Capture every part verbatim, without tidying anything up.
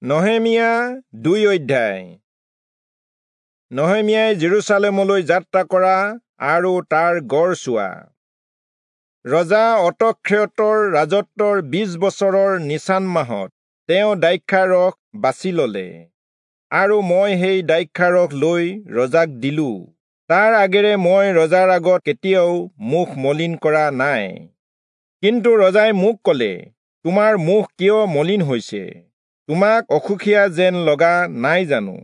নহেমীয়া দুই অধ্যায়। নহেমীয়াই যিৰূচালেমলৈ যাত্ৰা কৰা আৰু তাৰ গড় চোৱা। ৰজা অতক্ষেয়তৰ ৰাজত্বৰ বিশ বছৰৰ নিচান মাহত তেওঁ দ্ৰাক্ষাৰস বাছি ললে, আৰু মই সেই দ্ৰাক্ষাৰস লৈ ৰজাক দিলো। তাৰ আগেৰে মই ৰজাৰ আগত কেতিয়াও মুখ মলিন কৰা নাই। কিন্তু ৰজাই মোক কলে, তোমাৰ মুখ কিয় মলিন হৈছে? তোমাক অসুখীয়া যেন লগা নাই জানো?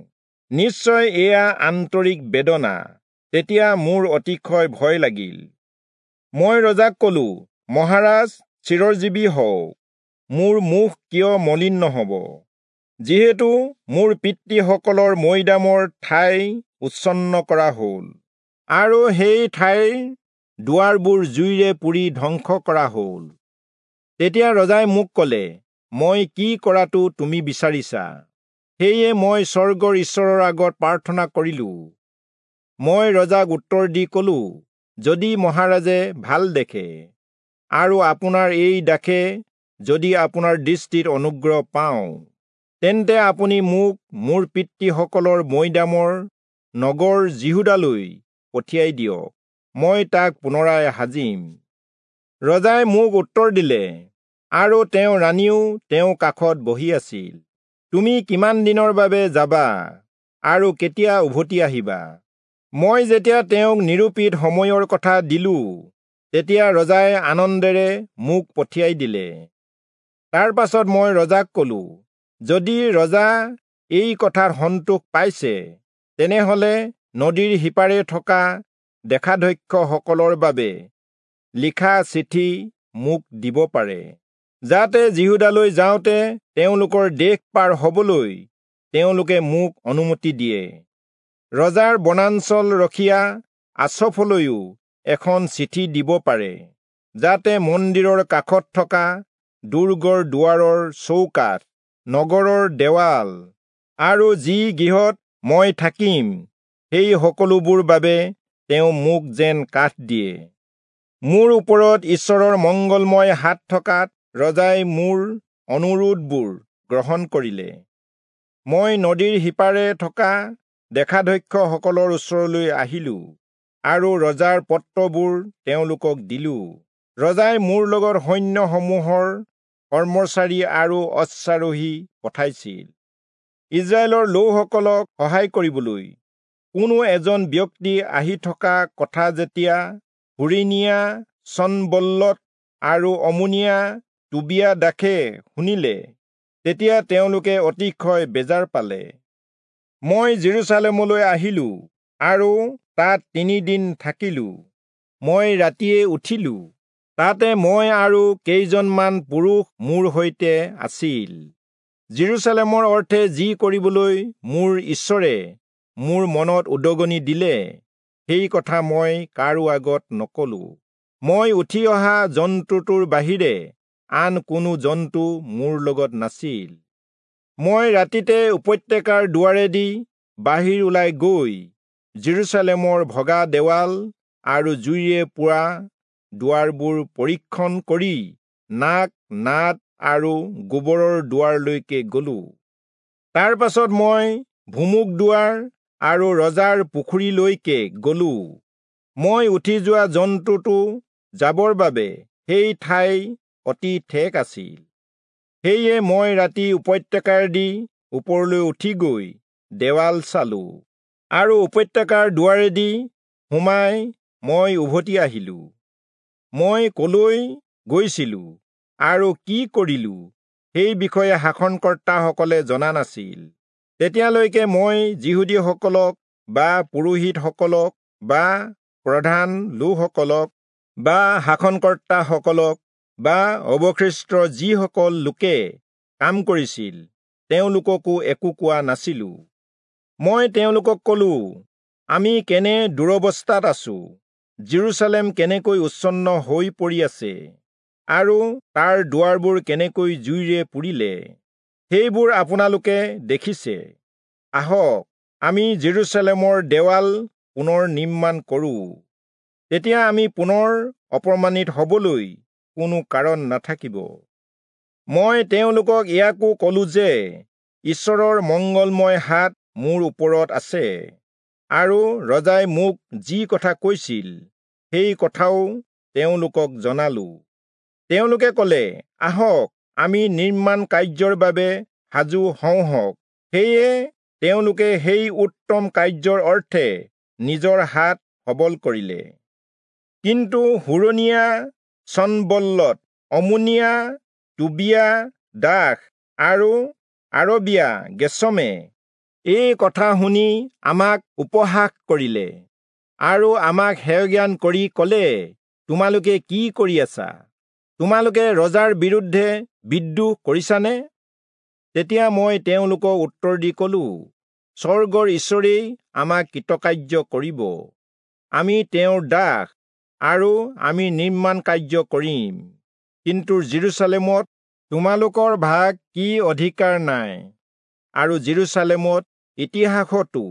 নিশ্চয় এয়া আন্তৰিক বেদনা। তেতিয়া মোৰ অতিশয় ভয় লাগিল। মই ৰজাক কলো, মহাৰাজ চিৰজীৱী হওক, মোৰ মুখ কিয় মলিন নহব? যিহেতু মোৰ পিতৃসকলৰ মৈদামৰ ঠাই উচ্ছন্ন কৰা হল, আৰু সেই ঠাইৰ দুৱাৰবোৰ জুইৰে পুৰি ধ্বংস কৰা হল। তেতিয়া ৰজাই মোক কলে, মই কি কৰাটো তুমি বিচাৰিছা? সেয়ে মই স্বৰ্গৰ ঈশ্বৰৰ আগত প্ৰাৰ্থনা কৰিলো। মই ৰজাক উত্তৰ দি কলো, যদি মহাৰাজে ভাল দেখে, আৰু আপোনাৰ এই দাসে যদি আপোনাৰ দৃষ্টিত অনুগ্ৰহ পাওঁ, তেন্তে আপুনি মোক মোৰ পিতৃসকলৰ মৈদামৰ নগৰ যিহূদালৈ পঠিয়াই দিয়ক, মই তাক পুনৰাই সাজিম। ৰজাই মোক উত্তৰ দিলে, আৰু তেওঁ ৰাণীও তেওঁ কাষত বহি আছিল, তুমি কিমান দিনৰ বাবে যাবা আৰু কেতিয়া উভতি আহিবা? মই যেতিয়া তেওঁক নিৰূপিত সময়ৰ কথা দিলো, তেতিয়া ৰজাই আনন্দেৰে মোক পঠিয়াই দিলে। তাৰ পাছত মই ৰজাক কলো, যদি ৰজা এই কথাত সন্তোষ পাইছে, তেনেহলে নদীৰ সিপাৰে থকা দেশাধ্যক্ষসকলৰ বাবে লিখা চিঠি মোক দিব পাৰে, যাতে যিহূদালৈ যাওঁতে তেওঁলোকৰ দেশ পাৰ হবলৈ তেওঁলোকে মোক অনুমতি দিয়ে। ৰজাৰ বনাঞ্চল ৰখীয়া আচফলৈও এখন চিঠি দিব পাৰে, যাতে মন্দিৰৰ কাষত থকা দুৰ্গৰ দুৱাৰৰ চৌকাঠ, নগৰৰ দেৱাল আৰু যি গৃহত মই থাকিম সেই সকলোবোৰ বাবে তেওঁ মোক যেন কাঠ দিয়ে। মোৰ ওপৰত ঈশ্বৰৰ মংগলময় হাত থকাত ৰজাই মোৰ অনুৰোধবোৰ গ্ৰহণ কৰিলে। মই নদীৰ সিপাৰে থকা দেশাধ্যক্ষসকলৰ ওচৰলৈ আহিলো আৰু ৰজাৰ পত্ৰবোৰ তেওঁলোকক দিলো। ৰজাই মোৰ লগত সৈন্যসমূহৰ কৰ্মচাৰী আৰু অশ্বাৰোহী পঠাইছিল, ইজৰাইলৰ লোকসকলক সহায় কৰিবলৈ। কোনো এজন ব্যক্তি আহি থকা কথা যেতিয়া হোৰোণীয়া চনবল্লৎ আৰু অম্মোনীয়া টোবিয়া দাসে শুনিলে, তেতিয়া তেওঁলোকে অতিশয় বেজাৰ পালে। মই যিৰূচালেমলৈ আহিলো আৰু তাত তিনিদিন থাকিলো। মই ৰাতিয়ে উঠিলো, তাতে মই আৰু কেইজনমান পুৰুষ মোৰ সৈতে আছিল। যিৰূচালেমৰ অৰ্থে যি কৰিবলৈ মোৰ ঈশ্বৰে মোৰ মনত উদগনি দিলে, সেই কথা মই কাৰো আগত নকলো। মই উঠি অহা জন্তুটোৰ বাহিৰে আন কোনো জন্তু মোৰ লগত নাছিল। মই ৰাতিতে উপত্যকাৰ দুৱাৰেদি বাহিৰ ওলাই গৈ যিৰূচালেমৰ ভগা দেৱাল আৰু জুইৰে পোৰা দুৱাৰবোৰ পৰীক্ষণ কৰি নাক, নাদ আৰু গোবৰৰ দুৱাৰলৈকে গলো। তাৰ পাছত মই ভুমুক দুৱাৰ আৰু ৰজাৰ পুখুৰীলৈকে গলো। মই উঠি যোৱা জন্তুটো যাবৰ বাবে সেই ঠাই অতি ঠেক আছিল। সেয়ে মই ৰাতি উপত্যকাৰেদি ওপৰলৈ উঠি গৈ দেৱাল চালো, আৰু উপত্যকাৰ দুৱাৰেদি সোমাই মই উভতি আহিলো। মই কলৈ গৈছিলো আৰু কি কৰিলো সেই বিষয়ে শাসনকৰ্তাসকলে জনা নাছিল। তেতিয়ালৈকে মই যিহূদীসকলক বা পুৰোহিতসকলক বা প্ৰধান লোকসকলক বা শাসনকৰ্তাসকলক বা অৱশিষ্ট যিসকল লোকে কাম কৰিছিল তেওঁলোককো একো কোৱা নাছিলো। মই তেওঁলোকক কলো, আমি কেনে দুৰৱস্থাত আছো, যিৰূচালেম কেনেকৈ উচ্ছন্ন হৈ পৰি আছে আৰু তাৰ দুৱাৰবোৰ কেনেকৈ জুইৰে পুৰিলে, সেইবোৰ আপোনালোকে দেখিছে। আহক, আমি যিৰূচালেমৰ দেৱাল পুনৰ নিৰ্মাণ কৰো, তেতিয়া আমি পুনৰ অপমানিত হবলৈ কোনো কাৰণ নাথাকিব। মই তেওঁলোকক ইয়াকো কলো যে ঈশ্বৰৰ মঙ্গলময় হাত মোৰ ওপৰত আছে, আৰু ৰজাই মোক যি কথা কৈছিল সেই কথাও তেওঁলোকক জনালো। তেওঁলোকে কলে, আহক, আমি নিৰ্মাণ কাৰ্যৰ বাবে সাজু হওঁহক। সেয়ে তেওঁলোকে সেই উত্তম কাৰ্যৰ অৰ্থে নিজৰ হাত সবল কৰিলে। কিন্তু হোৰোণীয়া চনবল্লৎ, অম্মোনীয়া টোবিয়া দাস আৰু আৰবীয়া গেচমে এই কথা শুনি আমাক উপহাস কৰিলে আৰু আমাক হেয়জ্ঞান কৰি কলে, তোমালোকে কি কৰি আছা? তোমালোকে ৰজাৰ বিৰুদ্ধে বিদ্ৰোহ কৰিছানে? তেতিয়া মই তেওঁলোকক উত্তৰ দি কলো, স্বৰ্গৰ ঈশ্বৰেই আমাক কৃতকাৰ্য কৰিব। আমি তেওঁৰ দাস আৰু আমি নিৰ্মাণ কাৰ্য কৰিম। কিন্তু যিৰূচালেমত তোমালোকৰ ভাগ কি অধিকাৰ নাই, আৰু যিৰূচালেমত ইতিহাসতো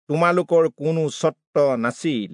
তোমালোকৰ কোনো স্বত্ব নাছিল।